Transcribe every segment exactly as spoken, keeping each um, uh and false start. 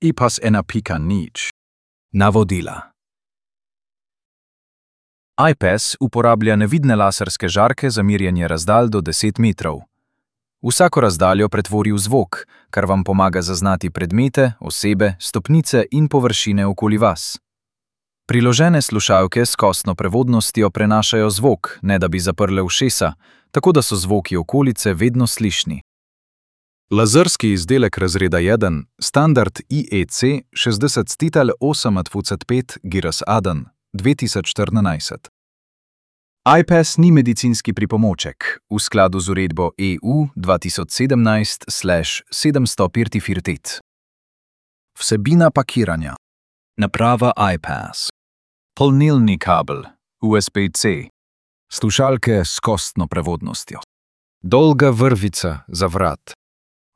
I P A S ena pika nič. Navodila. I P A S uporablja nevidne laserske žarke za merjenje razdalj do deset metrov. Vsako razdaljo pretvori v zvok, kar vam pomaga zaznati predmete, osebe, stopnice in površine okoli vas. Priložene slušalke s kostno prevodnostjo prenašajo zvok, ne da bi zaprle ušesa, tako da so zvoki okolice vedno slišni. Lazerski izdelek razreda jedan, standard I E C šestdeset osem dvajset pet Giras Aden, dve tisoč štirinajst. I P A S ni medicinski pripomoček, v skladu z uredbo E U dva tisoč sedemnajst sedemsto štiriinštirideset. Vsebina pakiranja. Naprava I P A S. Polnilni kabel, U S B C. Slušalke s kostno prevodnostjo. Dolga vrvica za vrat.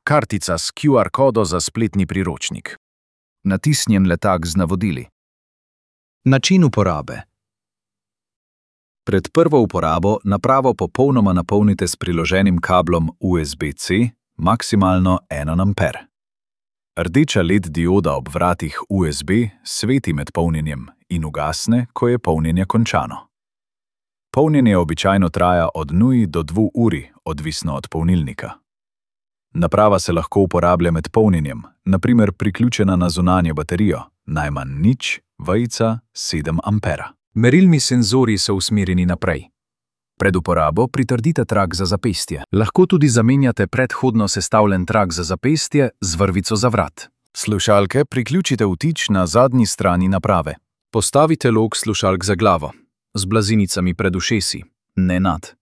Kartica s Q R kodo za spletni priročnik. Natisnjen letak z navodili. Način uporabe. Pred prvo uporabo napravo popolnoma napolnite s priloženim kablom U S B C, maksimalno en amper. Rdeča L E D dioda ob vratih U S B sveti med polnjenjem in ugasne, ko je polnjenje končano. Polnjenje običajno traja od nula do dve uri, odvisno od polnilnika. Naprava se lahko uporablja med polnjenjem, na primer priključena na zunanjo baterijo, najmanj nič, vejica, sedem ampera. Merilni senzori so usmerjeni naprej. Pred uporabo pritrdite trak za zapestje. Lahko tudi zamenjate predhodno sestavljen trak za zapestje z vrvico za vrat. Slušalke priključite vtič na zadnji strani naprave. Postavite lok slušalk za glavo, z blazinicami pred ušesi, ne nad.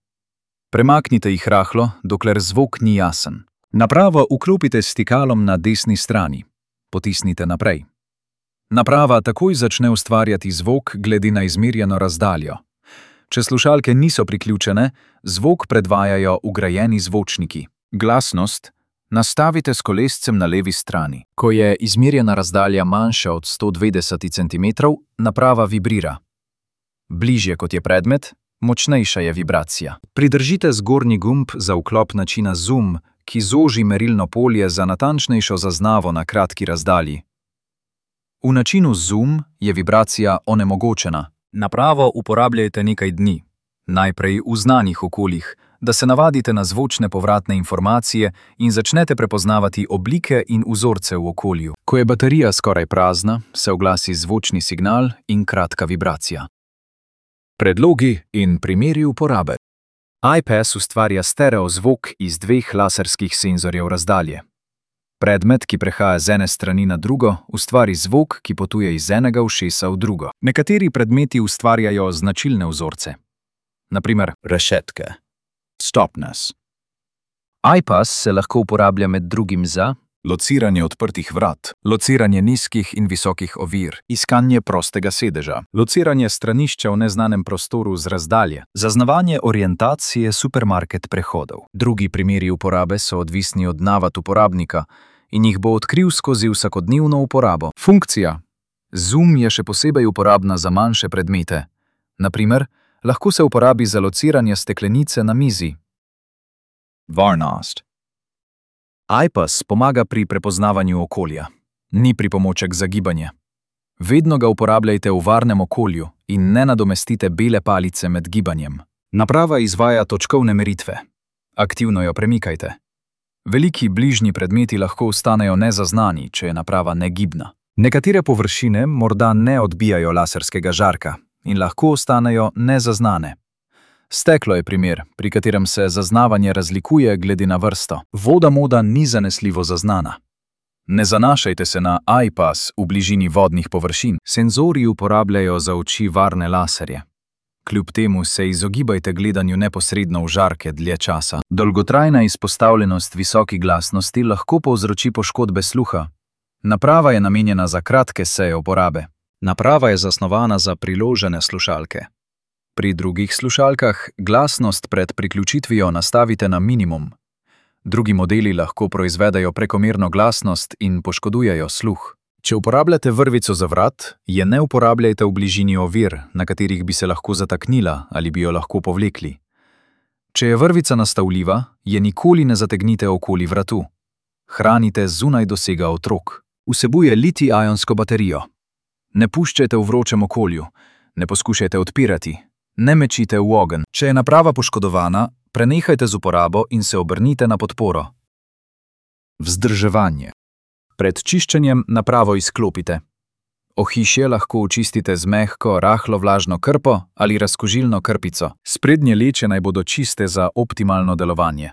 Premaknite jih rahlo, dokler zvok ni jasen. Napravo vklopite s stikalom na desni strani. Potisnite naprej. Naprava takoj začne ustvarjati zvok glede na izmerjeno razdaljo. Če slušalke niso priključene, zvok predvajajo vgrajeni zvočniki. Glasnost nastavite s kolescem na levi strani. Ko je izmerjena razdalja manjša od sto dvajset centimetrov, naprava vibrira. Bližje kot je predmet, močnejša je vibracija. Pridržite zgornji gumb za vklop načina zoom, ki zoži merilno polje za natančnejšo zaznavo na kratki razdalji. V načinu zoom je vibracija onemogočena. Napravo uporabljajte nekaj dni, najprej v znanih okoljih, da se navadite na zvočne povratne informacije in začnete prepoznavati oblike in vzorce v okolju. Ko je baterija skoraj prazna, se oglasi zvočni signal in kratka vibracija. Predlogi in primeri uporabe. I P A S ustvarja stereo zvok iz dveh laserskih senzorjev razdalje. Predmet, ki prehaja z ene strani na drugo, ustvari zvok, ki potuje iz enega ušesa v drugo. Nekateri predmeti ustvarjajo značilne vzorce. Na primer, rešetke. Stopnes. I P A S se lahko uporablja med drugim za lociranje odprtih vrat, lociranje nizkih in visokih ovir, iskanje prostega sedeža, lociranje stranišča v neznanem prostoru z razdalje, zaznavanje orientacije supermarket prehodov. Drugi primeri uporabe so odvisni od navad uporabnika in jih bo odkril skozi vsakodnevno uporabo. Funkcija. Zoom je še posebej uporabna za manjše predmete. Na primer, lahko se uporabi za lociranje steklenice na mizi. Varnost. I P A S pomaga pri prepoznavanju okolja. Ni pripomoček za gibanje. Vedno ga uporabljajte v varnem okolju in ne nadomestite bele palice med gibanjem. Naprava izvaja točkovne meritve. Aktivno jo premikajte. Veliki bližnji predmeti lahko ostanejo nezaznani, če je naprava negibna. Nekatere površine morda ne odbijajo laserskega žarka in lahko ostanejo nezaznane. Steklo je primer, pri katerem se zaznavanje razlikuje glede na vrsto. Voda moda ni zanesljivo zaznana. Ne zanašajte se na I P A S v bližini vodnih površin. Senzori uporabljajo za oči varne laserje. Kljub temu se izogibajte gledanju neposredno v žarke dlje časa. Dolgotrajna izpostavljenost visoki glasnosti lahko povzroči poškodbe sluha. Naprava je namenjena za kratke seje uporabe. Naprava je zasnovana za priložene slušalke. Pri drugih slušalkah glasnost pred priključitvijo nastavite na minimum. Drugi modeli lahko proizvedajo prekomerno glasnost in poškodujejo sluh. Če uporabljate vrvico za vrat, je ne uporabljajte v bližini ovir, na katerih bi se lahko zataknila ali bi jo lahko povlekli. Če je vrvica nastavljiva, je nikoli ne zategnite okoli vratu. Hranite zunaj dosega otrok. Vsebuje litij-ionsko baterijo. Ne puščajte v vročem okolju, ne poskušajte odpirati, ne mečite v ogenj. Če je naprava poškodovana, prenehajte z uporabo in se obrnite na podporo. Vzdrževanje. Pred čiščenjem napravo izklopite. Ohišje lahko očistite z mehko, rahlo vlažno krpo ali razkužilno krpico. Sprednje leče naj bodo čiste za optimalno delovanje.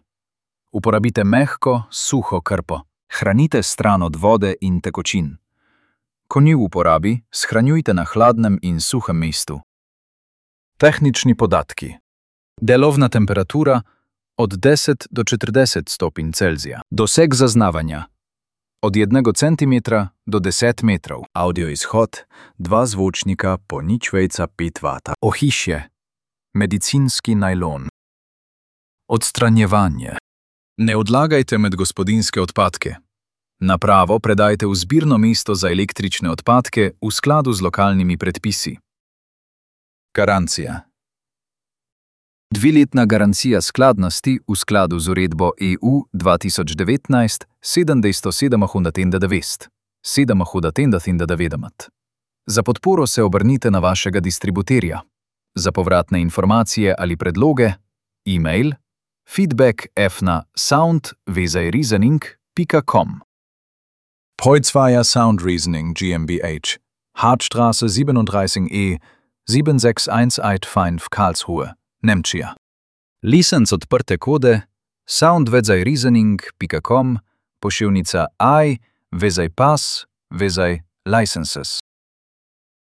Uporabite mehko, suho krpo. Hranite stran od vode in tekočin. Ko ni v uporabi, shranjujte na hladnem in suhem mestu. Tehnični podatki. Delovna temperatura od deset do štirideset stopinj Celzija. Doseg zaznavanja od enega centimetra do deset metrov. Audio izhod dva zvočnika po nič veca pet vata. Ohišje medicinski najlon. Odstranjevanje. Ne odlagajte med gospodinjske odpadke. Napravo predajte v zbirno mesto za električne odpadke v skladu z lokalnimi predpisi. Garancija. Dviletna garancija skladnosti v skladu z uredbo E U dva tisoč devetnajst sedemsto sedemindevetdeset sedemsto Za podporo se obrnite na vašega distributerja. Za povratne informacije ali predloge, e-mail feedback f na sound vezaj reasoning pika com. Poitzweier Sound Reasoning GmbH, Hartstraße siebenunddreißig E sedem šest ena osem pet Karlsruhe, Nemčija. Licenc odprte kode sound vezaj reasoning pika com, pošiljnica I vezaj pas vezaj licenses.